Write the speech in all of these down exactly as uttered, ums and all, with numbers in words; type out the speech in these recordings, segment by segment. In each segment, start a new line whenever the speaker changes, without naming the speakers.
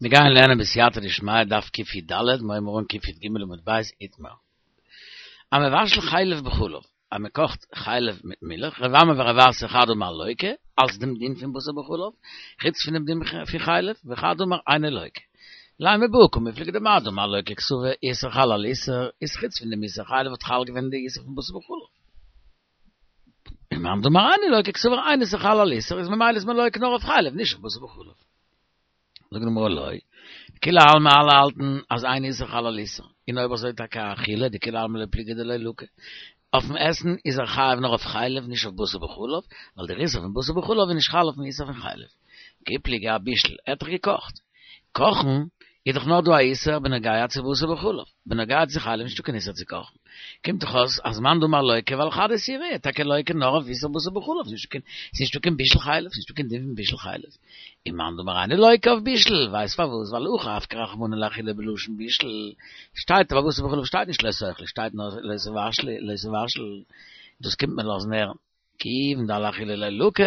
מיר גייען לערנען בסייעתא דשמיא דף קי"ד, מיר הייבן אן קי"ג עמוד ב' איתמר. המבשל חלב בחלב, אז מען קאכט חלב מיט מילך, רב אמי ורב אסי חד אמר לוקה, אלס דעם דין פון בשר בחלב, חוץ פון דעם דין פון חלב, וחד אמר אינו לוקה. לימא בהא קמיפלגי דמר דאמר לוקה קסבר איסור חל על איסור, איז חוץ פון דעם איסור חלב האט חל געווען די איסור פון בשר בחלב. ומאן דאמר אינו לוקה קסבר אין איסור חל על איסור, איז ממילא איז מען לוקה נאר אויף חלב, נישט אויף בשר בחלב. זאגט די גמרא לא, דכולי עלמא אלע האלטן אז אין איסור חל על איסור, און אויב אזוי טאקע אאכילה, דכולי עלמא לא פליגי דלא לקי. אויפן עסן איז ער חייב נאר אויף חלב נישט אויף בשר בחלב, ווייל דער איסור פון בשר בחלב איז נישט חל אויפן איסור פון חלב. כי פליגי אבישול, ער האט דאך געקאכט. קאכן איז דאך נאר דא א איסור בנוגע צו בשר בחלב, בנוגע צו חלב נישטא קיין איסור צו קאכן. קומט דאך אויס אז מאן דאמר לוקה ווייל חד איסורא, טאקע לוקה נאר אויף איסור בשר בחלב, ס'נישטא קיין ס'נישטא קיין בישול חלב, ס'נישטא קיין דין פון בישול חלב. און מאן דאמר אינו לוקה אויף בישול, ווייסט פארוואס? ווייל הכא אפקע רחמנא לאכילה בלשון בישול, שטייט ביי בשר בחלב שטייט נישט לא תאכלו, שטייט נאר לא תבשלו, לא תבשל, דאס קומט מען לאזן הערן, כיוון דעל אכילה לא לקי,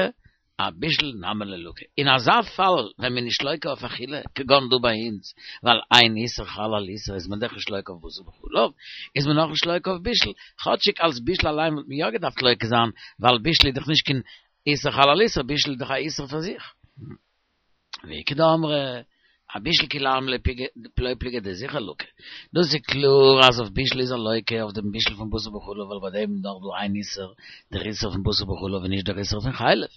אבישול נמי לא לקי. אין אזא פאל ווען מ'איז נישט לוקה אויף אכילה, כגון דא ביי אונז, ווייל אין איסור חל על איסור איז מען דאך נישט לוקה אויף בשר בחלב, איז מען אויך נישט לוקה אויף בישול, כאטשיג אלס בישול אליין וואלט מען יא געדארפט לוקה זיין, ווייל בישול איז דאך נישט קיין איסור חל על איסור, בישול איז דאך א איסור פאר זיך. ואיכא דאמרי, אבישול כולי עלמא לא פליגי דזיכער לקי. דאס איז קלאר אז אויף בישול איז ער לוקה אויף דעם בישול פון בשר בחלב ווייל ביי דעם איז נאר דא איין איסור, דער איסור פון בשר בחלב און נישט דער איסור פון חלב.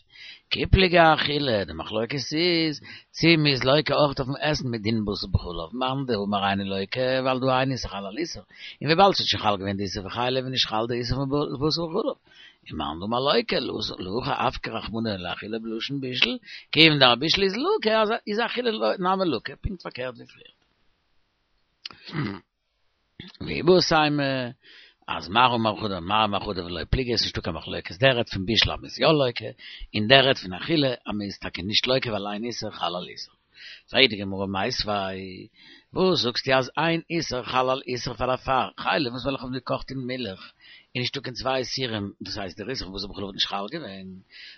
כי פליגי אאכילה, די מחלוקת איז צי מ'איז לוקה אויך אויפן עסן מדין בשר בחלב, מאן דאמר אינו לוקה ווייל דהא אין איסור חל על איסור, און וויבאלד ס'האט שוין חל געווען די איסור פון חלב איז נישט חל די איסור פון בשר בחלב. ומאן דאמר לוקה, להכא אפקע רחמנא לאכילה בלשון בישול, כיוון דאבישול איז לקי, איז אכילה נמי לקי, פונקט פארקערט ווי פריער. ואיבעית אימא, אז מר אמר חדא מר אמר חדא ולא פליגי עס איז נישטא קיין מחלוקת, דער רעדט פון בישול אז מ'איז יא לוקה, און דער רעדט פון אכילה אז מ'איז טאקע נישט לוקה ווייל אין איסור חל על איסור. פרעגט די גמרא מיתיבי, וואס זאגסטו אז אין איסור חל על איסור פאר דערפאר חלב וואס וועלכע האבן געקאכט אין מילך איז נישטא קיין צוויי איסורים דאס הייסט דער איסור פון בשר בחלב האט נישט חל געווען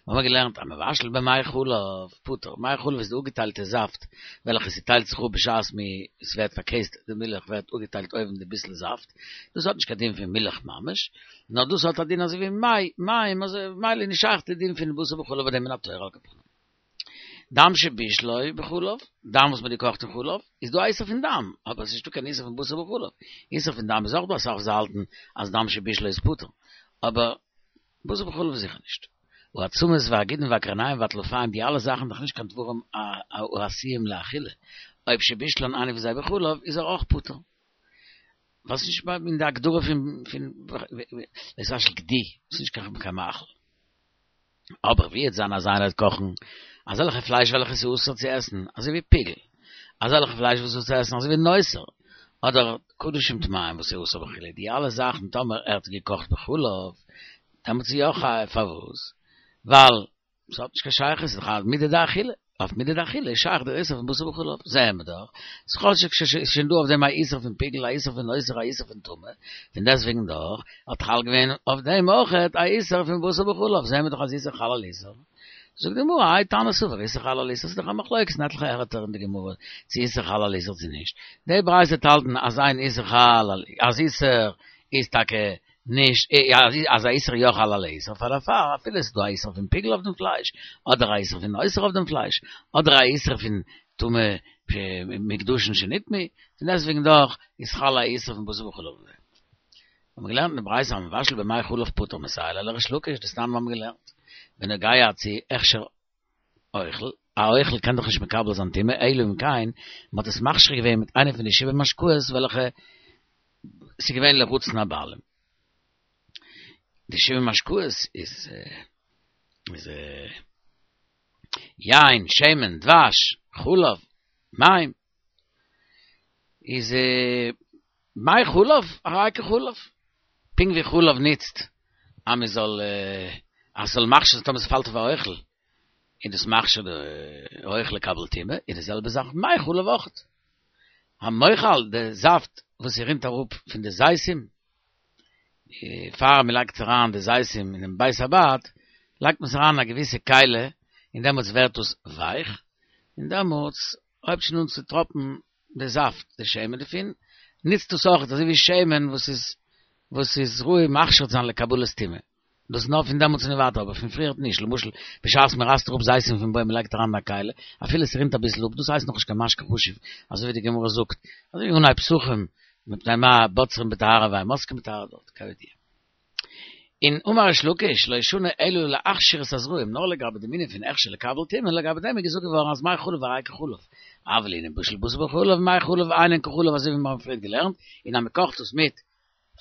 מיר האבן געלערנט המבשל במי חלב פטור מי חלב איז די אפגעטיילטע זאפט וועלכע ס'טיילט זיך אפ בשעת מ ס'ווערט פארקעסט די מילך ווערט אפגעטיילט אויבן די ביסל זאפט דאס האט נישט קיין דין פון מילך ממש נאר דאס האט א דין אזוי ווי מי מים אזוי ממילא איז נישט שייך די דין פון בשר בחלב ביי דעם מן התורה על כל פנים. דם שבישלו בחלב, דם וואס מ'האט געקאכט אין חלב, איז דא א איסור פון דם, אבער עס איז נישטא קיין איסור פון בשר בחלב. איסור פון דם איז אויך דא אסאך וואס האלטן אז דם שבישלו איז פטור, אבער בשר בחלב זיכער נישט. העצמות והגידין והקרניים והטלפיים די אלע זאכן דאך נישט קיין דברים העשויים לאכילה, אויב שבישלן איינע פון זיי בחלב איז ער אויך פטור. ווייל ס'איז נישט אין די הגדרה פון פון לא תבשל גדי, ס'איז נישט קיין מאכל. אבער ווי וועט זיין אז איינער וועט קאכן אזעלכע פלייש וועלכע איז אסור צו עסן, אזוי ווי פיגול, אזעלכע פלייש וואס איז אסור צו עסן אזוי ווי נותר, אדער קדשים טמאים וואס איז אסור באכילה, די אלע זאכן טאמער ער האט געקאכט בחלב, דעמאלטס איז יא חייב, פארוואס? ווייל ס'האט נישט קיין שייכות, ס'איז דאך א מידי דאכילה. אויף מידי דאכילה איז שייך דער איסור פון בשר בחלב, זעהן מיר דאך, אז כאטשיג ס'איז שוין דא אויף דעם א איסור פון פיגול, א איסור פון נותר, א איסור פון טמא, פון דעסטוועגן דאך האט חל געווען אויף דעם אויכעט א איסור פון בשר בחלב, זעהן מיר דאך אז איסור חל על איסור. זאגט די גמרא, האי תנא סבר איסור חל על איסור, ס'איז דאך א מחלוקת אין עטליכע ערטער אין די גמרא צו איסור חל על איסור צו נישט, די ברייתא וועט האלטן אז אין איסור חל על אז איסור איז טאקע נישט אז א איסור יא חל על איסור פאר דערפאר אפילו עס איז דא א איסור פון פיגול אויף דעם פלייש אדער א איסור פון נותר אויף דעם פלייש אדער א איסור פון טומאה מקדשין שנטמאו פון דעסטוועגן דאך איז חל א איסור פון בשר בחלב אויף דעם. האבן מיר געלערנט אין די ברייתא המבשל במי חלב פטור מסייע ליה לריש לקיש דתנן האבן מיר געלערנט בנוגע צו הכשר אוכל, א אוכל קען דאך נישט מקבל זיין טומאה אלא אם כן מען האט עס מכשיר געווען מיט איינע פון די שבעה משקאות וועלכע ס'איז געווען לרצון הבעלים. די שבעה משקאות איז איז יין, שמן, דבש, חלב, מים. איז מי חלב, הרי כחלב. פונקט ווי חלב נוצט אז מען זאל אז ס'זאל מכשיר זיין טאמער ס'פאלט אויף א אוכל, איז דאס מכשיר די אוכל לקבל טומאה, איז די זעלבע זאך מי חלב אויכעט. המוחל, די זאפט וואס ס'רינט אראפ פון די זיתים, פאר מען לייגט אריין די זיתים אינעם בית הבד, לייגט מען עס אריין אין א געוויסע כלי, און דעמאלטס ווערט עס ווייך, און דעמאלטס הויבט שוין אן צו טראפן די זאפט, די שמן דערפון, ניצט דאס אויך אזוי ווי שמן וואס איז וואס איז ראוי מכשיר צו זיין לקבלת טומאה. דאס נאר פון דעמאלטס און ווייטער, אבער פון פריער נישט. למשל, בשעת מען רייסט אראפ זיתים פון בוים, מען לייגט אריין אין א כלי, אפילו עס רינט אביסל אפ, דאס הייסט נאכנישט קיין משקה חשוב, אזוי ווי די גמרא זאגט, אזוי ווי אנהייב פסחים, מפני מה בוצרין בטהרה ואין מוסקין בטהרה דארט, כידוע. און אמר ריש לקיש, לא שנו אלא להכשיר את הזרעים, נאר לגבי דעם ענין פון הכשר לקבל טומאה, לגבי דעם איז געזאגט געווארן אז מי חלב הרי כחלב, אבל לענין בישול בשר בחלב, מי חלב אינן כחלב אזוי ווי מיר האבן פריער געלערנט, און אז מען קאכט עס מיט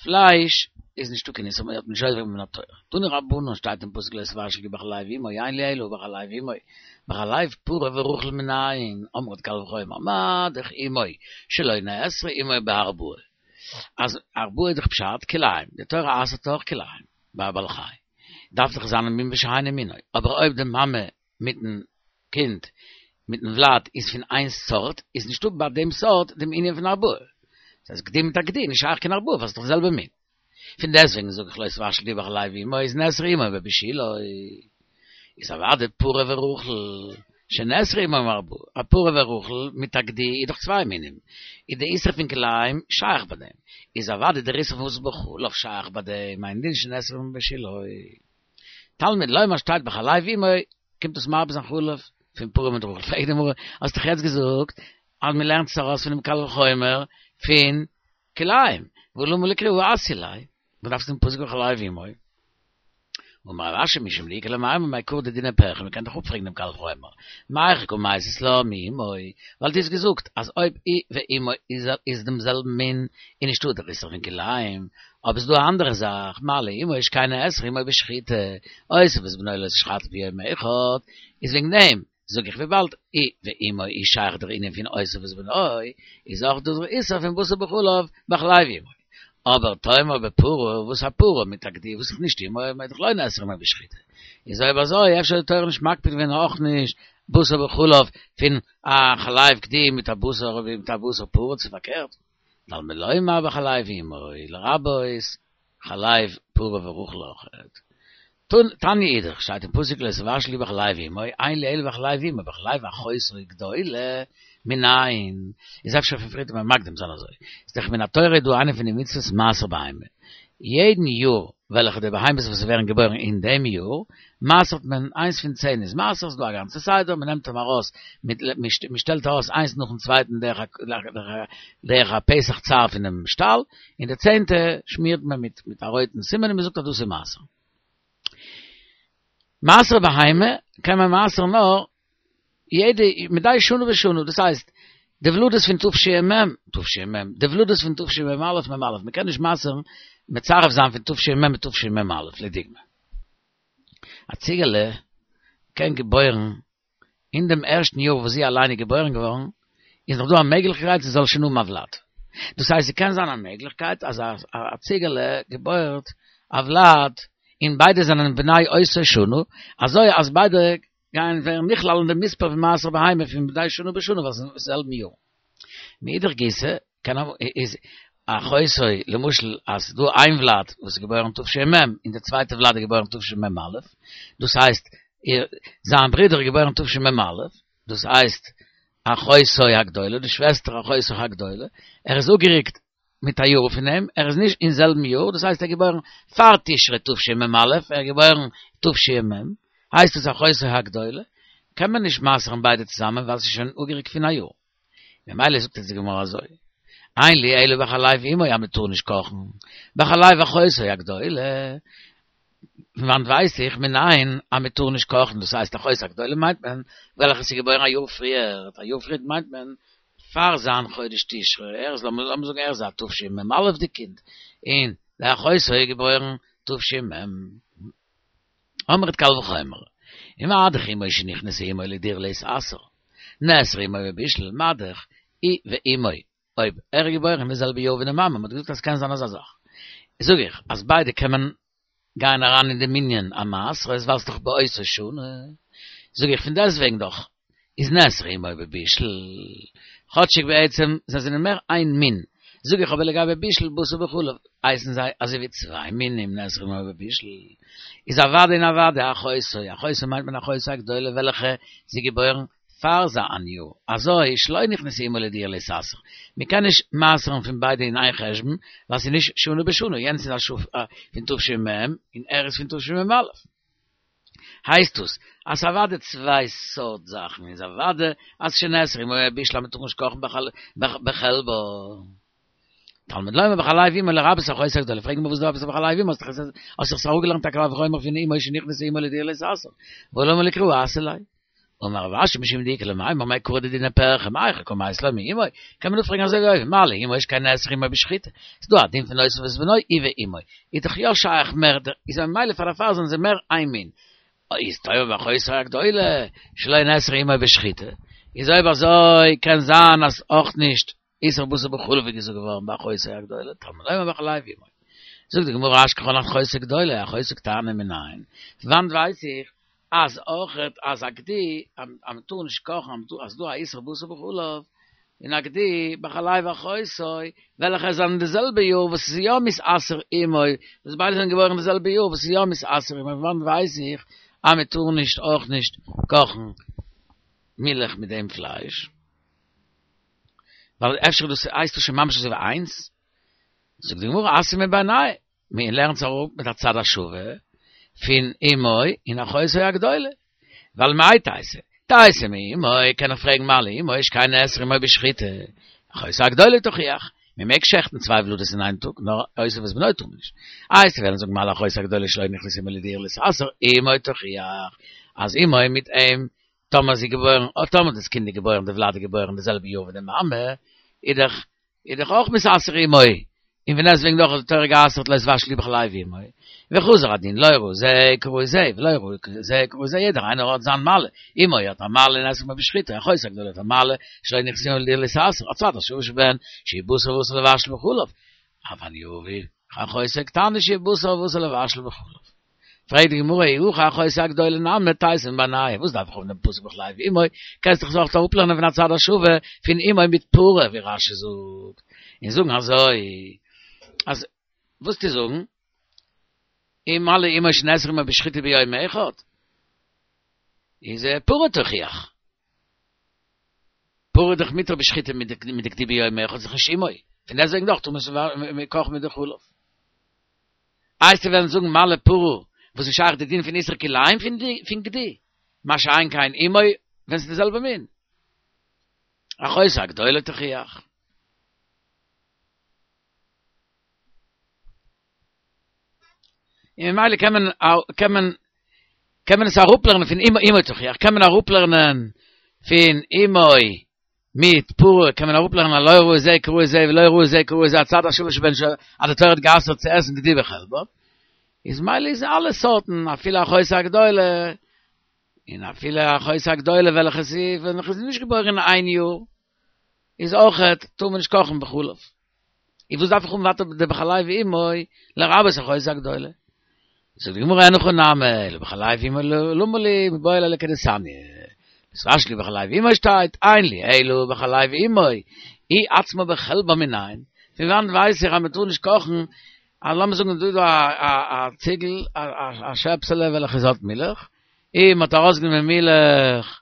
פלייש איז נישטא קיין איסור, מען האט נישט עובר געווען מן התורה. תנו רבנן שטייט אין פסוק לא תבשל גדי בחלב אמו, אין לי אלא בחלב אמו, בחלב פרה ורחל מנין, אמרת קל וחומר, מה דאך אמו שלא נאסרה עמו בהרבעה. אז הרבעה איז דאך פשט כלאים, די תורה אסר'ט דאך כלאים ביי א בעל חי, דארף דאך זיין מין בשאינו מינו, אבער אויב די מאמע מיטן קינד מיטן ולד איז פון איין סארט, איז נישטא ביי דעם סארט דעם ענין פון הרבעה. דאס הייסט גדי מיט א גדי, נישט שייך קיין הרבעה ווייל ס'איז דאך די זעלבע מין. פון דעסטוועגן זאג איך לא תבשל גדי בחלב אמו איז נאסרה עמו בבישולו. איז אוודאי פרה ורחל שנאסרה עמו בהרבעה. א פרה ורחל מיט א גדי איז דאך צוויי מינים. איז די איסור פון כלאים שייך ביי דעם. איז אוודאי דער איסור פון בשר בחלב שייך ביי דעם, אינו דין שנאסרה עמו בבישולו. תלמוד לומר שטייט בחלב אמו קומט דאס מרבה זיין חלב פון פרה מיט רחל. פרעגט די גמרא, האסט דאך יעצט געזאגט אז מען לערנט עס ארויס פונעם קל וחומר פון כלאים, והא למה לי קרא הא אתיא ליה, וואס דארפסטו דעם פסוק בחלב אמו? אמר רב אשי משום דאיכא למימר מעיקרא דדינא פירכא, מען קען דאך אפפרעגן דעם קל וחומר, מהיכא קא מייתית לה מאמו, ווייל דו האסט געזאגט אז אויב היא ואמו איז דעם זעלבן מין איז נישטא דער איסור פון כלאים, אבער ס'איז דא א אנדערע זאך, מה לאמו שכן נאסרה עמו בשחיטה, אותו ואת בנו לא תשחטו ביום אחד, איז וועגן דעם זאג איך וויבאלד היא ואמו איז שייך דער ענין פון אותו ואת בנו, איז אויך דא דער איסור פון בשר בחלב בחלב אמו. אבער תאמר בפרה, וואס א פרה מיט א גדי וואס איז נישט אמו, איז דאך לא נאסרה עמו בשחיטה. איז אויב אזוי אפשר האט די תורה נישט מקפיד געווען אויך נישט בשר בחלב פון א חלב גדי מיט א בשר מיט א בשר פרה צו פארקערט. תלמוד לומר בחלב אמו לרבות חלב פרה ורחל אויכעט. תניא אידך, שטייט אין פסוק לא תבשל גדי בחלב אמו, אין לי אלא בחלב אמו, בחלב אחותו גדולה מנין, איז אפשר פון פריער מען מקדים זיין אזוי, איז דאך מן התורה דא איינע פון די מצוות מעשר בהמה, יעדן יאר וועלכע די בהמות וואס ווערן געבוירן אין דעם יאר, מעשר'ט מען איינס פון צען איז מעשר, ס'דא א גאנצע סדר, מען נעמט אים ארויס, מען שטעלט ארויס איינס נאכן צווייטן דרך א פתח צר פונעם שטאל, און די צענטע שמירט מען מיט מיט א רויטן סימן און מען זאגט אז דאס איז מעשר. מעשר בהמה קען מען מעשר'ן נאר יעדע מדי שנה בשנה, דאס הייסט די ולדות פון תש"מ, תש"מ, די ולדות פון תשמ"א, מ"א, מען קען נישט מעשר'ן מצרף זיין פון תש"מ מיט תשמ"א, לדוגמא. א ציגעלע קען געבוירן אין דעם ערשטן יאר וואס זי אליין איז געבוירן געווארן, איז נאך דא א מעגליכקייט זי זאל שוין האבן א ולד. דאס הייסט ס'קען זיין א מעגליכקייט אז א ציגעלע געבוירט א ולד און ביידע זענען בני אותה שנה, אזוי אז ביידע גייען ווערן נכלל אין די מספר פון מעשר בהמה פון מדי שנה בשנה ווייל ס'איז זעלבן יאר. מאידך גיסא קען איז אחותו למשל אז ס'איז דא איין ולד וואס איז געבוירן תש"מ און די צווייטע ולד איז געבוירן תשמ"א, דאס הייסט איר זיין ברודער איז געבוירן תשמ"א, דאס הייסט אחותו הגדולה, די שוועסטער אחותו הגדולה, ער איז אפגערוקט מיט א יאר פון אים, ער איז נישט אין זעלבן יאר, דאס הייסט ער איז געבוירן פאר תשרי תשמ"א, ער איז געבוירן תש"מ, הייסט עס אחותו הגדולה, קען מען נישט מעשר'ן ביידע צוזאמען ווייל ס'איז שוין אפגערוקט פון א יאר. ממילא זאגט אונז די גמרא אזוי, אין לי אלא בחלב אמו אז מ'טאר נישט קאכן, בחלב אחותו הגדולה, פון וואנט ווייס איך מנין אז מען טאר נישט קאכן, דאס הייסט אחותו הגדולה מיינט מען וועלכע ס'איז געבוירן א יאר פריער, א יאר פריער מיינט מען פאר זיין חודש תשרי, ער איז לאמיר זאגן ער איז א תשמ"א-דיג קינד, און די אחותו איז געבוירן תש"מ. אמרת קל וחומר, ומה דאך אמו שנכנסה עמו לדיר להתעשר, נאסרה עמו בבישול, מה דאך היא ואמו אויב ער איז געבוירן אין די זעלבע יאר ווי די מאמע, מ'האט געזאגט אז ס'קען זיין אזא זאך, זאג איך אז ביידע קען מען גייען אריין אין די מנין המעשרות ווייל ס'דאך באותה שנה, זאג איך פון דעסטוועגן דאך איז נאסרה עמו בבישול, כאטשיג בעצם זיי זענען מער איין מין, זאג איך אבער לגבי בישול בשר בחלב הייסן זיי אזוי ווי צוויי מינים נאסרה עמו בבישול, איז אוודאי און אוודאי אחותו, אחותו מיינט מען אחותו הגדולה וועלכע זי געבוירן פאר זיין יאר. אזוי שלא נכנסה עמו לדירה להתעשר. מ'קען נישט מעשר'ן פון ביידע אין איין חשבון, ווייל ס'איז נישט שנה בשנה, יענץ איז א שו פון תש"מ און ער איז פון תשמ"א. הייסט דאס, אז אוודאי צוויי סארט זאכן, איז אוודאי אז שנאסר אמו בבישול אז מ'טאר נישט קאכן בחלבה. תלמוד לומר בחלב אמו לרבות אחותו הגדולה, פרעגן מיר וואס דא עפעס בחלב אמו, האסט דאך עס אראפגעלערנט א קל וחומר פון אמו שנכנסה עמו לדירה להתעשר, והא למה לי קרא אסר ליה. אמר רב אשי משום דאיכא למימר מעיקרא דדינא פירכא מהיכא קא מייתי לה מאמו, קען מען דא פרעגן אזוי ווי אויבן, מה לאמו שכן נאסר עמו בשחיטה, ס'איז דא א דין פון אותו ואת בנו היא ואמו, איז דאך יא שייך מער, איז ממילא פאר דערפאר זענען זיי מער איין מין, איז תאמר באחותו הגדולה שלא נאסר עמו בשחיטה, איז אויב אזוי קען זיין אז אויך נישט איסור בשר בחלב איז געזאגט געווארן באחותו הגדולה, תלמוד לומר בחלב אמו. זאגט די גמרא אשכחן אחותו גדולה, אחותו קטנה מנין, פון וואנט ווייס איך אז אויכעט אז א גדי אז מען טאר נישט קאכן אז ס'דא א איסור בשר בחלב און א גדי בחלב אחותו וועלכע זענען די זעלבע יאר וואס איז יא מתעשר עמו וואס ביידע זענען געבוירן די זעלבע יאר וואס איז יא מתעשר עמו פון וואנט ווייס איך אז מען טאר נישט אויך נישט קאכן מילך מיט דעם פלייש ווייל אפשר דאס הייסט דאס שוין ממש אזוי ווי איינס זאגט די גמרא אתיא מבינייהו מען לערנט עס אראפ מיט א צד השווה פון אמו און אחותו הגדולה, ווייל מאי תיתי, תיתי מאמו, קען איך פרעגן מה לאמו שכן נאסר עמו בשחיטה, אחותו הגדולה תוכיח, מען מעג שעכטן צוויי ולדות אין איין טאג, נאר אותו ואת בנו טאר מען נישט. איי וועסטו וועלן זאגן מה לאחותו הגדולה שלא נכנסה עמו לדירה להתעשר, אמו תוכיח, אז אמו מיט אים, טאמער זי געבוירן, טאמער דאס קינד איז געבוירן, די ולד איז געבוירן די זעלבע יאר ווי די מאמע, איז דאך איז דאך אויך מתעשר עמו, און פון דעסטוועגן דאך האט די תורה גע'אסר'ט לא תבשלו בחלב אמו, וחזר הדין לא ראי זה כראי זה, ולא ראי זה כראי זה, יעדער איינער האט זיין מעלה, אמו האט א מעלה נאסר עמו בשחיטה, אחותו הגדולה האט א מעלה שלא נכנסה עמו לדירה להתעשר, הצד השווה שבהן, שהוא בשר ואסור לבשל בחלב, אבל יביא אחותו קטנה שהיא בשר ואסור לבשל בחלב. פרעגט די גמרא אי הכי אחותו הגדולה נמי תיתי מבינייהו, וואס דארף איך האבן דעם פסוק בחלב אמו, קענסט דאך עס אויך אראפלערנען פון הצד השווה פון אמו מיט פרה ווי רש"י זאגט, און זאגן אזוי אז וואס צו זאגן, אם מה לאמו שנאסר עמו בשחיטה ביום אחד, איז פרה תוכיח. פרה איז דאך מותר בשחיטה מיט די גדי ביום אחד, איז דאך נישט אמו, פון דעסטוועגן דאך טאר מען נישט קאכן מיט די חלב. איי וועסטו וועלן זאגן מה לפרה וואס איז שייך די דין פון איסור כלאים פון גדי, מה שאין כן אמו ווען ס'איז די זעלבע מין. אחותו הגדולה תוכיח. און ממילא קען מען קען מען קען מען עס אראפלערנען פון אמו אמו תוכיח, קען מען אראפלערנען פון אמו מיט פרה קען מען אראפלערנען אז לא ראי זה כראי זה ולא ראי זה כראי זה הצד השווה שבהן אז די תורה האט גע'אסר'ט צו עסן גדי בחלבה, איז מילא איז אלע סארטן אפילו אחותו הגדולה, און אפילו אחותו הגדולה וועלכע איז וועלכע איז נישט געבוירן אין איין יאר, איז אויכעט טאר מען נישט קאכן בחלב. איז וואס דארף איך האבן ווייטער די בחלב אמו לרבות אחותו הגדולה? זאגט די גמרא אין הכי נמי, אלא בחלב אמו למה לי מיבעי ליה לכדתניא, לא תבשלו בחלב אמו שטייט, אין לי אלא בחלב אמו, היא עצמה בחלבה מנין, פון וואנעט ווייס איך אז מען טאר נישט קאכן, אז לאמיר זאגן דא איז דא א ציגל, א שעפסעלע וועלכע עס האט מילך, און מען האט ארויסגענומען מילך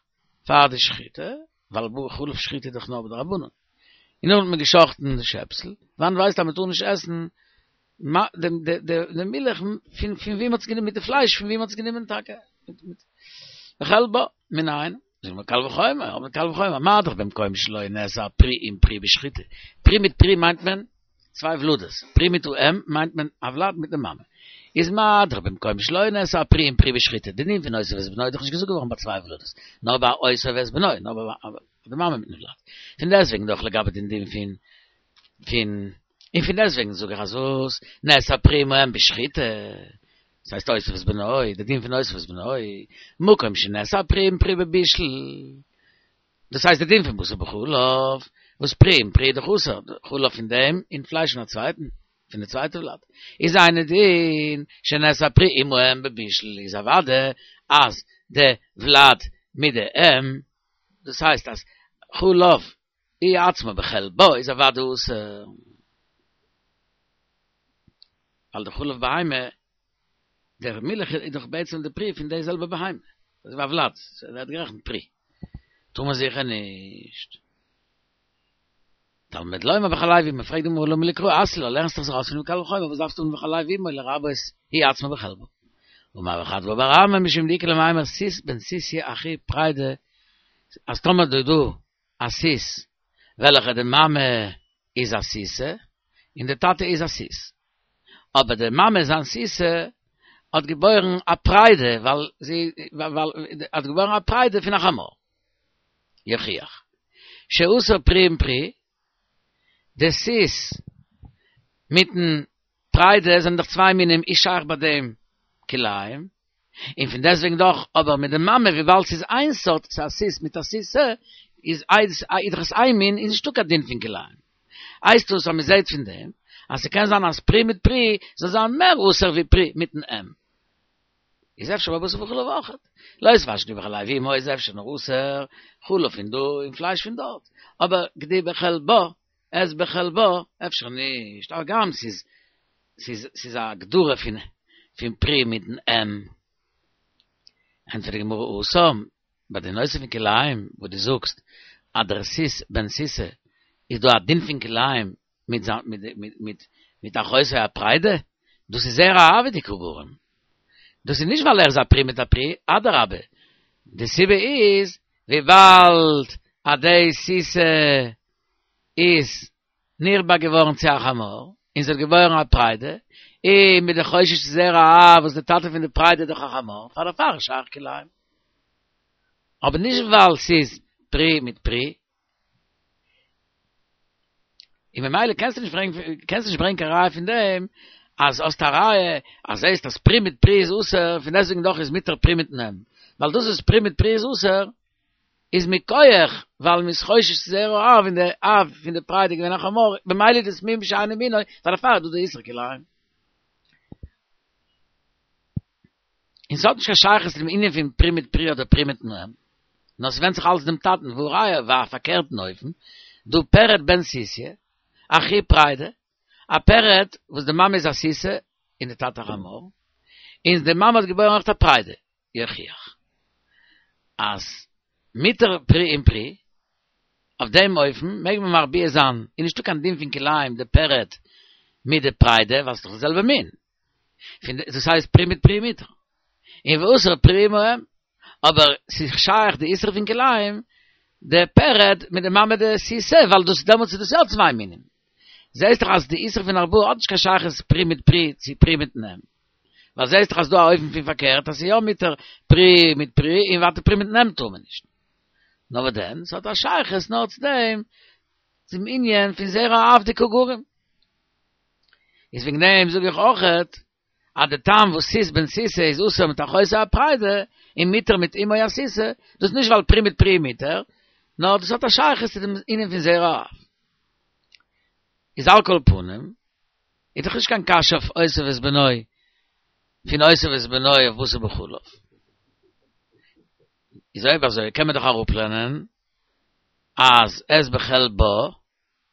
פאר די שחיטה, ווייל בחלב שחיטה איז דאך נאר בדרבנן, און נאכדעם האט מען גע'שחט'ן די שעפסל, וואנעט ווייסט אז מען טאר נישט עסן די מילך פון פון ווי מען האט עס גענומען מיט די פלייש פון ווי מען האט עס גענומען טאקע בחלבה מנין זאגט מען קל וחומר אבער קל וחומר מה דאך במקום שלא נאסר פרי עם פרי בשחיטה פרי מיט פרי מיינט מען צוויי ולדות פרי מיט אם מיינט מען א ולד מיט די מאמע איז מה דאך במקום שלא נאסר פרי עם פרי בשחיטה די דין פון אותו ואת בנו איז דאך נישט געזאגט געווארן ביי צוויי ולדות נאר ביי אותו ואת בנו נאר ביי די מאמע מיטן ולד פון דעסטוועגן דאך לגבי דעם דין פון פון און פון דעסטוועגן זאג איך אז וואס נאסר פרי עם האם בשחיטה, דאס הייסט אותו ואת בנו, די דין פון אותו ואת בנו, מקום שנאסר פרי עם פרי בבישול, דאס הייסט די דין פון בשר בחלב, וואס פרי עם פרי איז דאך אסור, חלב פון דעם און פלייש פון א צווייטן, פון די צווייטע ולד, איז אינו דין שנאסר פרי עם האם בבישול, איז אוודאי אז די ולד מיט די אם, דאס הייסט אז חלב היא עצמה בחלבה איז אוודאי אסור. ווייל די חלב בהמה, דער מילך איז דאך בעצם די פרי פון די זעלבע בהמה. דאס איז א ולד, ס'ווערט גערעכנט פרי. טאר מען זיכער נישט. תלמוד לומר בחלב אמו, פרעגט די גמרא למה לי קרא אתיא לה, לערנסט דאך זיך אויס פונעם קל וחומר, וואס דארפסטו האבן בחלב אמו לרבות היא עצמה בחלבה. אמר רב חדוה בר אמי משום דאיכא למימר סוס בן סוסיא אחי פריידא, אז טאמער דא דא א סוס וועלכע די מאמע איז א סוסה און די טאטע איז א סוס, אבער די מאמע זיין סוסה האט געבוירן א פריידא ווייל זי ווייל האט געבוירן א פריידא פון א חמור. יוכיח שאסור פרי עם פרי, די סוס מיטן פריידא זענען דאך צוויי מינים איז שייך ביי דעם כלאים, און פון דעסטוועגן דאך אבער מיט די מאמע וויבאלד ס'איז איין סארט ס'איז א סוס מיט א סוסה איז איז דאך עס איין מין איז נישטא קיין דין פון כלאים. הייסט דאס אז מ'זעהט פון דעם אז ס'קען זיין אז פרי מיט פרי זאל זיין מער אסור ווי פרי מיטן אם. איז אפשר ביי בשר בחלב אויכעט. לא תבשל גדי בחלב אמו איז אפשר נאר אסור חלב פון דא און פלייש פון דארט. אבער גדי בחלבה עז בחלבה אפשר נישט. הגם ס'איז ס'איז ס'איז א הגדרה פון פון פרי מיטן אם. ענטפערט די גמרא התם, ביי די נושא פון כלאים וואס דו זאגסט אז דער סוס בן סוסה איז דא א דין פון כלאים מיט זיין מיט מיט מיט מיט אחותו הפריידא, דאס איז זרע האב דקא גרים, דאס איז נישט ווייל ער איז א פרי מיט א פרי, אדרבה, די סיבה איז וויבאלד אז די סוסה איז נרבע געווארן צו א חמור, און זי האט געבוירן א פריידא, און מ'איז דאך חושש צו זרע האב וואס די טאטע פון די פריידא איז דאך א חמור, פאר דערפאר איז שייך כלאים. אבער נישט ווייל ס'איז פרי מיט פרי. און ממילא קענסטו נישט ברענגען קענסט נישט ברענגען קיין ראיה פון דעם אז האסט א ראיה אז זעסט אז פרי מיט פרי איז אסור פון דעסטוועגן דאך איז מותר פרי מיטן אם ווייל דאס וואס פרי מיט פרי איז אסור איז מכח ווייל מ'איז חושש צו זרע האב און די אב פון די פריידא איז געווען א חמור במילא איז דאס מין בשאינו מינו פאר דערפאר איז דא די איסור כלאים. און ס'האט נישט קיין שייכות צו דעם ענין פון פרי מיט פרי אדער פרי מיטן אם, נאר ס'ווענדט זיך אלץ דעם טאטן, והא ראיה ביי א פארקערטן אופן, דא פרד בן סוסיא, אחי פריידא, א פרד וואס די מאמע איז א סוסה און די טאטע א חמור, און די מאמע האט געבוירן אויך א פריידא, יוכיח אז מותר פרי עם פרי, אויף דעם אופן מעג מען מרביע זיין, איז נישטא קיין דין פון כלאים די פרד מיט די פריידא ווייל ס'איז דאך די זעלבע מין, פון דאס הייסט פרי מיט פרי מותר, און ואסור פרי עם האם, אבער ס'איז שייך די איסור פון כלאים די פרד מיט די מאמע די סוסה ווייל דאס דעמאלטס איז דאס יא צוויי מינים, זעהסט דאך אז די איסור פון הרבעה האט נישט קיין שייכות פרי מיט פרי צו פרי מיטן אם, ווייל זעהסט דאך אז דא א אופן פון פארקערט אז ס'איז יא מותר פרי מיט פרי און ווייטער פרי מיטן אם טאר מען נישט. נאר וואס דען, ס'האט א שייכות נאר צו דעם צום ענין פון זרע האב דקא גרים. איז וועגן דעם זאג איך אויכעט אז די טעם וואס סוס בן סוסה איז אסור מיט אחותו הפריידא און מותר מיט אמו הסוסה, דאס איז נישט ווייל פרי מיט פרי מותר, נאר דאס האט א שייכות צו דעם ענין פון זרע האב. איז על כל פנים, איז דאך נישט קיין קשיא אויף אותו ואת בנו, פון אותו ואת בנו אויף בשר בחלב. איז אויב אזוי קען מען דאך אראפלערנען אז עז בחלבה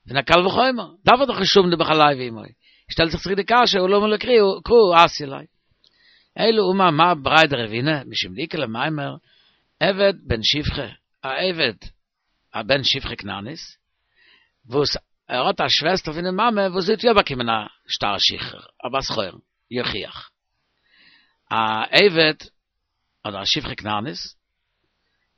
פון א קל וחומר, דארף ער דאך נישט האבן די בחלב אמו. שטעלט זיך צוריק די קשיא, הא למה לי קרא אתיא ליה. אלא אמר מר בריה דרבינא, משום דאיכא למימר, עבד בן שפחה, א עבד א בן שפחה כנענית, וואס ער האט א שוועסטער פון די מאמע וואס זי האט יא באקומען א שטר שחרור, א בת חורין, יוכיח. א עבד אדער א שפחה כנענית,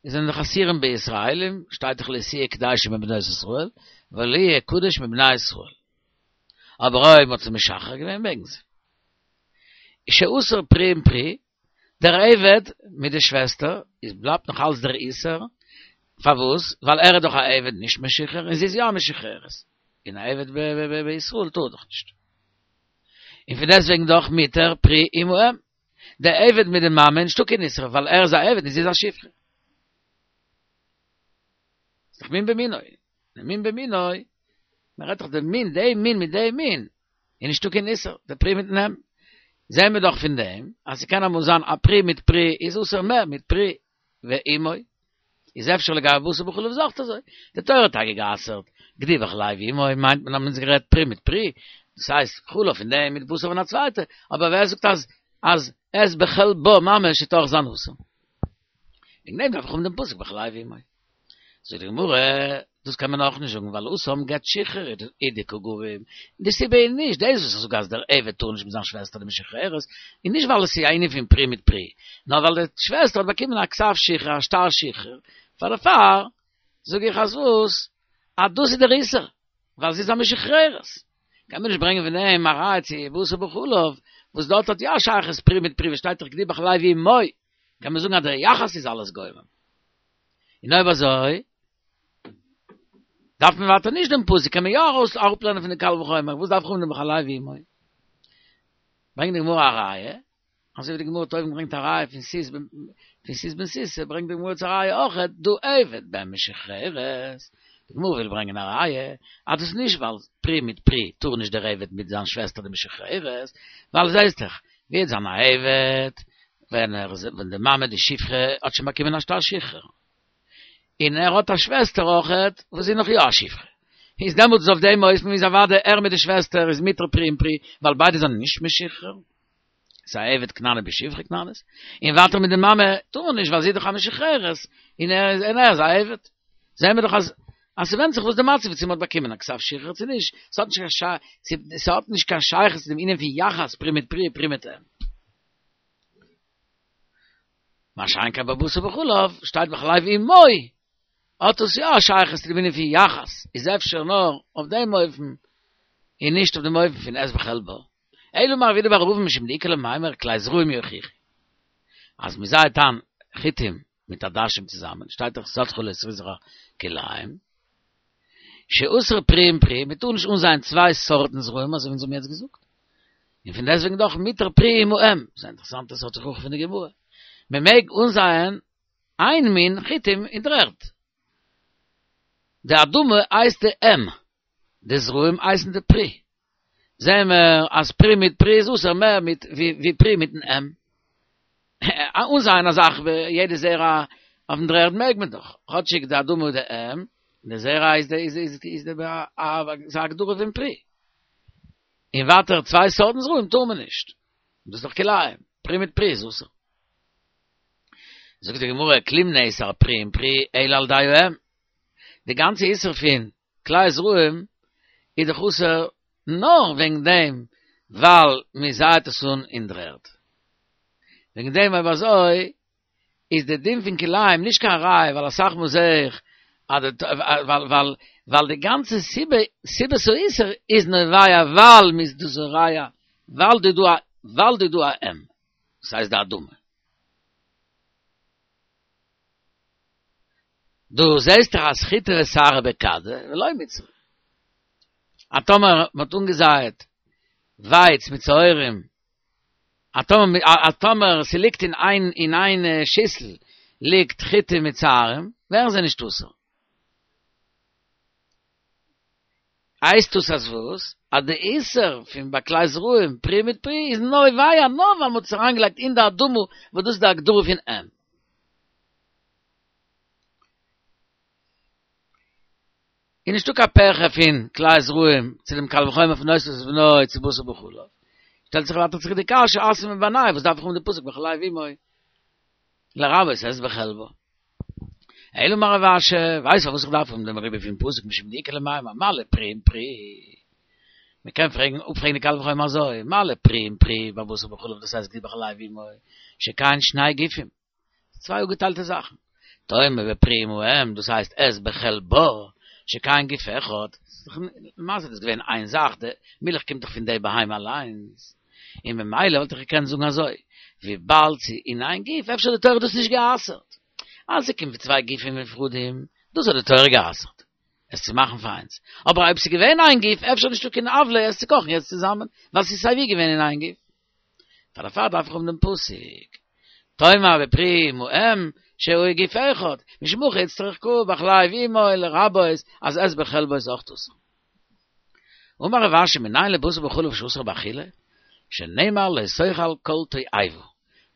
איז זענען דאך אסורים בישראלים, שטייט דאך לא תהיה קדשה מבנות ישראל, ולא יהיה קדוש מבני ישראל. אבער אויב מ'האט זיי משחרר געווען מעגן זיי. שאסור פרי עם פרי, דער עבד מיט די שוועסטער, איז בלייבט נאך אלץ דער איסור, פארוואס? ווייל ער איז דאך א עבד נישט משוחרר און זי איז יא א משוחררת, און א עבד בישראל טאר דאך נישט. און פון דעסטוועגן דאך מותר פרי עם האם. דער עבד מיט די מאמע נישטא קיין איסור ווייל ער איז א עבד און זי איז א שפחה. ס'איז דאך מין במינו. דער מין במינו, מען רעדט דאך דער מין, דער מין מיט דעם מין, איז נישטא קיין איסור, דער פרי מיטן אם. זעהן מיר דאך פון דעם אז ס'קען אמאל זיין א פרי מיט פרי איז אסור מער מיט פרי ואמו. איז אפשר לגבי בשר בחלב איז אויך אזוי. די תורה האט טאקע גע'אסר'ט גדי בחלב אמו מיינט מען אז מ'האט גערעדט פרי מיט פרי, דאס הייסט חלב פון דעם מיט בשר פון א צווייטע, אבער ווער זאגט אז אז עז בחלבה ממש וועט אויך זיין אסור? וועגן דעם דארף איך האבן דעם פסוק בחלב אמו. זאגט די גמרא, דאס קען מען אויך נישט זאגן, ווייל התם גט שחרור הוא דקא גרים. די סיבה איז נישט דאס וואס איך זאג אז דער עבד טאר נישט מיט זיין שוועסטער די משוחררת, איז נישט ווייל עס איז א ענין פון פרי מיט פרי, נאר ווייל די שוועסטער האט באקומען א כתב שחרור, א שטר שחרור, פאר דערפאר זאג איך אז וואס? אז דאס איז דער איסור, ווייל זי איז א משוחררת. קען מען נישט ברענגען פון דעם א ראיה צו בשר בחלב, וואס דארט האט יא א שייכות פרי מיט פרי, וואס שטייט דאך גדי בחלב אמו, קען מען זאגן אז דער יחס איז אלעס גורם. און אויב אזוי, דארף מען ווייטער נישט דעם פסוק, קען מען יא ארויס אראפלערנען פון די קל וחומר, וואס דארף איך האבן דעם בחלב אמו? ברענגט די גמרא א ראיה, אזוי ווי די גמרא האט אויבן געברענגט א ראיה פון סוס פון סוס בן סוסה, ברענגט די גמרא צו א ראיה אויך דא עבד בן משוחררת, די גמרא וויל ברענגען א ראיה אז דאס איז נישט ווייל פרי מיט פרי טאר נישט דער עבד מיט זיין שוועסטער די משוחררת, ווייל זעהסט דאך ווי וועט זיין א עבד ווען ער ווען די מאמע די שפחה האט שוין באקומען א שטר שחרור, און ער האט א שוועסטער אויכעט וואס איז נאך יא א שפחה, איז דעמאלטס אויף דעם אופן איז אוודאי ער מיט די שוועסטער איז מותר פרי עם פרי, ווייל ביידע זענען נישט משוחרר, ס'איז א עבד כנעני בשפחה כנענית, און ווייטער מיט די מאמע טאר מען נישט ווייל זי איז דאך א משוחררת, און ער איז און ער איז א עבד. זעהן מיר דאך אז אז ס'ווענדט זיך וואס די מצב איז צו מ'האט באקומען א כתב שחרור צו נישט, ס'האט נישט קיין ס'האט נישט קיין שייכות צו דעם ענין פון יחס פרי מיט פרי פרי מיט אם. מה שאין כן בבשר בחלב, שטייט בחלב אמו, האט עס יא א שייכות צו דעם ענין פון יחס, איז אפשר נאר אויף דעם אופן, און נישט אויף דעם אופן פון את בחלבה. אלא אמר רב יהודה בר אבין משום דאיכא למימר כלאי זרעים יוכיחו. אז מען זייעט איין חיטים מיט עדשים צוזאמען, שטייט דאך שדך לא תזרע כלאים, שאסור פרי עם פרי, מען טאר נישט אנזייען צוויי סארטן זרעים אזוי ווי אונז האבן יעצט געזאגט. און פון דעסטוועגן דאך מותר פרי עם האם, ס'איז א אינטערעסאנטע סארט הוכחה פון די גמרא, מען מעג אנזייען איין מין חיטים אין דער ערד, די אדמה הייסט די אם, די זרעים הייסן די פרי, זעהן מיר אז פרי מיט פרי איז אסור מער מיט ווי פרי מיטן אם. אנזייען א זאך יעדע זרע אויפן דר'ערד מעג מען דאך, כאטשיג די אדמה איז די אם, די זרע איז די איז איז די איז א הגדרה פון פרי. און ווייטער צוויי סארטן זרעים טאר מען נישט, דאס איז דאך כלאים, פרי מיט פרי איז אסור. זאגט די גמרא כלום נאסר פרי עם פרי אלא על ידי האם, די גאנצע איסור פון כלאי זרעים איז דאך אסור נאר וועגן דעם ווייל מען זייעט עס אן אין דר'ערד. וועגן דעם אויב אזוי איז די דין פון כלאים נישט קיין ראיה ווייל אסאך מאל זעה איך אז די ווייל ווייל ווייל די גאנצע סיבה סיבת האיסור איז נובע ווייל מ'איז דא זורע ווייל די דא ווייל די דא א אם דאס הייסט די אדמה. דו זעסט דאך אז חיטה ושערה בכדי ולא מיתסרא. אז טאמער מ'האט אנגעזייעט ווייץ מיט שעורים אז טאמער אז טאמער ס'ליגט אין איין אין איין שיסל ליגט חיטה מיט שעורים ווערן זיי נישט אסור. הייסט דאס אז וואס? אז די איסור פון ביי כלאי זרעים פרי מיט פרי איז נובע נאר ווייל מ'האט עס אריינגעלייגט אין די אדמה וואס דאס איז די הגדרה פון אם. איז נישטא קיין פירכא פון כלאי זרעים צו דעם קל וחומר פון נושא את בנו צו בשר בחלב. שטעלט זיך ווייטער צוריק די קשיא אתא מבעיניה וואס דארף איך האבן די פסוק בחלב אמו לרבות את בחלבה. אלא אמר רב אשי, ווייסט פארוואס איך דארף האבן דעם ריבוי פון פסוק משום דאיכא למימר מה לפרי עם פרי. מען קען פרעגן אפפרעגן די קל וחומר אזוי, מה לפרי עם פרי בבשר בחלב דאס הייסט גדי בחלב אמו שכאן שני גופים. צוויי אפגעטיילטע זאכן. תאמר בפרי עם האם, דאס הייסט את בחלבה, שכאן גוף אחד, למעשה איז דאס געווען איין זאך, די מילך קומט דאך פון די בהמה אליינס, און ממילא וואלט איך געקענט זאגן אזוי, וויבאלד ס'איז אין איין גוף, אפשר האט די תורה דאס נישט גע'אסר'ט. אז ס'קומט פון צוויי גופים נפרדים, דאס האט די תורה גע'אסר'ט, עס צו מאכן פאר איינס. אבער אויב ס'איז געווען איין גוף, אפשר נישטא קיין עוולה עס צו קאכן יעצט צוזאמען, ווייל ס'איז סייווי געווען אין איין גוף. פאר דערפאר דארף איך האבן דעם פסוק, תאמר בפרי עם האם שהוא גוף אחד, משום הכי איצטריך קרא בחלב אמו לרבות אז את בחלבה איז אויך אסור. אמר רב אשי מנין לבשר בחלב שאסור באכילה, שנאמר לא תאכל כל תועבה,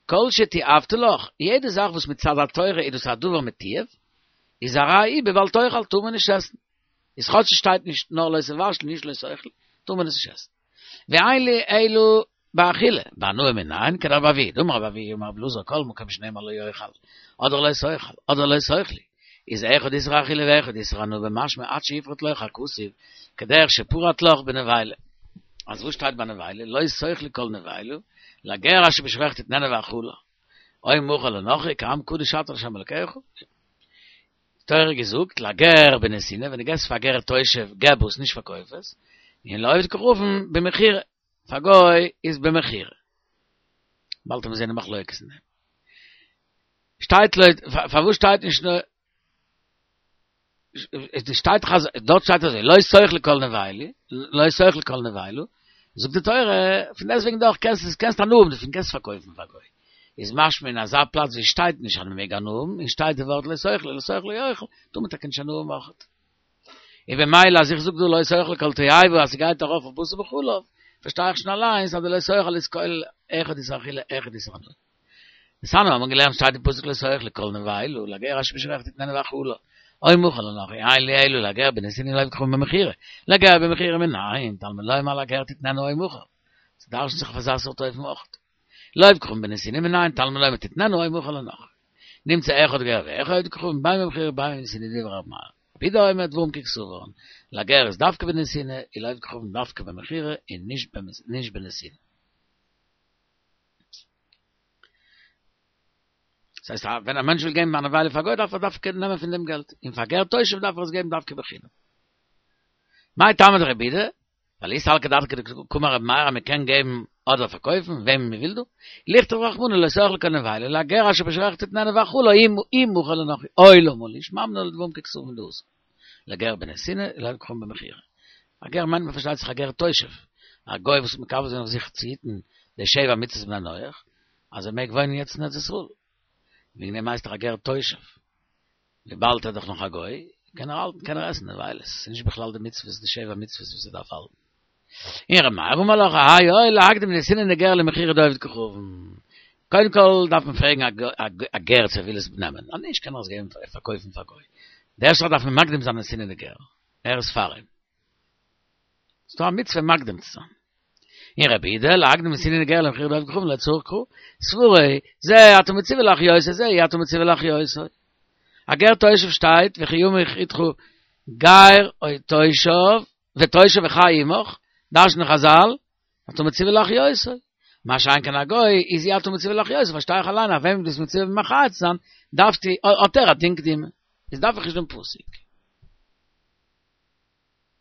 כל שתיעבת לך, יעדע זאך וואס מצד התורה איז דאס א דבר מתועב, איז הרי הוא בבל תאכל טאר מען נישט עסן, איז כאטש עס שטייט נישט נאר לא תבשל נישט לא תאכל, טאר מען עס נישט עסן. ואין לי אלא באכילה, בהנאה מנין, כדרבי אבהו, דאמר רבי אבהו אמר רבי אלעזר כל מקום שנאמר לא יאכל, אדער לא תאכל, אדער לא תאכלו, איז אחד איסור אכילה ואחד איסור הנאה במשמע עד שיפרוט לך הכתוב כדרך שפרט לך בנבילה. אז וואס שטייט ביי נבילה? לא תאכלו כל נבילה, לגר אשר בשעריך תתננה ואכלה. או מכור לנכרי, כי עם קדוש אתה להשם אלקיך. תורה געזאגט, לגר בנתינה, ווען דו געבסט פאר גר תושב, געב עס, נישט פארקויף עס. און לעובד כוכבים במכירה. פאר גוי איז במכירה. באלד וועט מען זען די מחלוקת אין דעם. שטייט לויט, פארוואס שטייט נישט נאר, עס שטייט דאך אז, דארט שטייט אזוי, לא תאכלו כל נבילה, לא תאכלו כל נבילה, זאגט די תורה, פון דעסטוועגן דאך קענסט עס, קענסט הנאה האבן דערפון, קענסט פארקויפן פאר גוי. איז משמע אין אזא פלאץ ווי שטייט נישט אז מען מעג הנאה האבן, און שטייט די ווארט לא תאכלו, לא תאכלו יאכל, טאר מען טאקע נישט הנאה האבן אויכעט. און במילא אז איך זאג דא לא תאכלו כל תועבה אז ס'גייט ארויף אויף בשר בחלב, פארשטיי איך שוין אליינס אז די לא תאכל איז כולל אחד איסור אכילה אחד איסור הנאה. דתניא האבן מיר געלערנט שטייט אין פסוק לא תאכלו כל נבילה לגר אשר בשעריך תתננה ואכלה או מכור לנכרי אין לי אלא לגר בנתינה ולעובד כוכבים במכירה לגר במכירה מנין תלמוד לומר לגר תתננה או מכור ס'דרש'נט זיך אויף אזא סארט אופן אויך לעובד כוכבים בנתינה מנין תלמוד לומר תתננה או מכור לנכרי נמצא אחד גר ואחד עובד כוכבים בין במכירה בין בנתינה דברי ר' מאיר רבי יהודה אומר דברים ככתבן לגר איז דווקא בנתינה און לעובד כוכבים דווקא במכירה און נישט בנתינה. דאס הייסט ווען א מענטש וויל געבן א נבילה פאר גוי דארף ער דווקא נעמען פון דעם געלט, און פאר גר תושב דארף ער עס געבן דווקא בחינם. מאי טעמא דרבי יהודה? ווייל אי סלקא דעתך דקאמר רבי מאיר אז מען קען געבן אדער פארקויפן וועמען מען וויל דא, לכתוב רחמנא לא תאכלו כל נבילה לגר אשר בשעריך תתננה ואכלה אי מכור לנכרי או למה לי שמע מינה לדברים ככתבן דהתם לגר בנתינה ולעובד כוכבים במכירה. א גר מיינט מען פארשטייט זיך א גר תושב, א גוי וואס האט מקבל געווען אויף זיך צו היטן די שבע מצוות בני נח, אז ער מעג וואוינען יעצט אין ארץ ישראל, וועגן דעם הייסט ער א גר תושב, וויבאלד ער איז דאך נאך א גוי, קען ער האלטן, קען ער עסן נבילות, ס'איז נישט בכלל די מצוות, די שבע מצוות וואס ער דארף האלטן. און ר' מאיר אמר לך, האי הואיל להקדים נתינה לגר למכירה דעובד כוכבים. קודם כל דארף מען פרעגן א גר צו ער וויל עס נעמען, אז נישט קען ער עס געבן פארקויפן פאר גוי. די ערשטע זאך דארף מען מקדים זיין נתינה לגר, ער איז פאר אים. ס'דא א מצוה מקדים צו זיין. און רבי יהודה, להקדים נתינה לגר למכירה דעובד כוכבים לא צריך קרא. סברא, זה אתה מצווה להחיותו זה אי אתה מצווה להחיותו. א גר תושב שטייט וכי ימוך אתך גר או תושב ותושב וחי עמך, דרש'נען חזל, אתה מצווה להחיותו. מה שאין כן א גוי, איז אי אתה מצווה להחיותו, פארשטיי איך אליין אז וועם דו ביסט מצווה מחיה צו זיין, דארפסטו, האט ער א דין קדימה. איז דארף איך נישט דעם פסוק.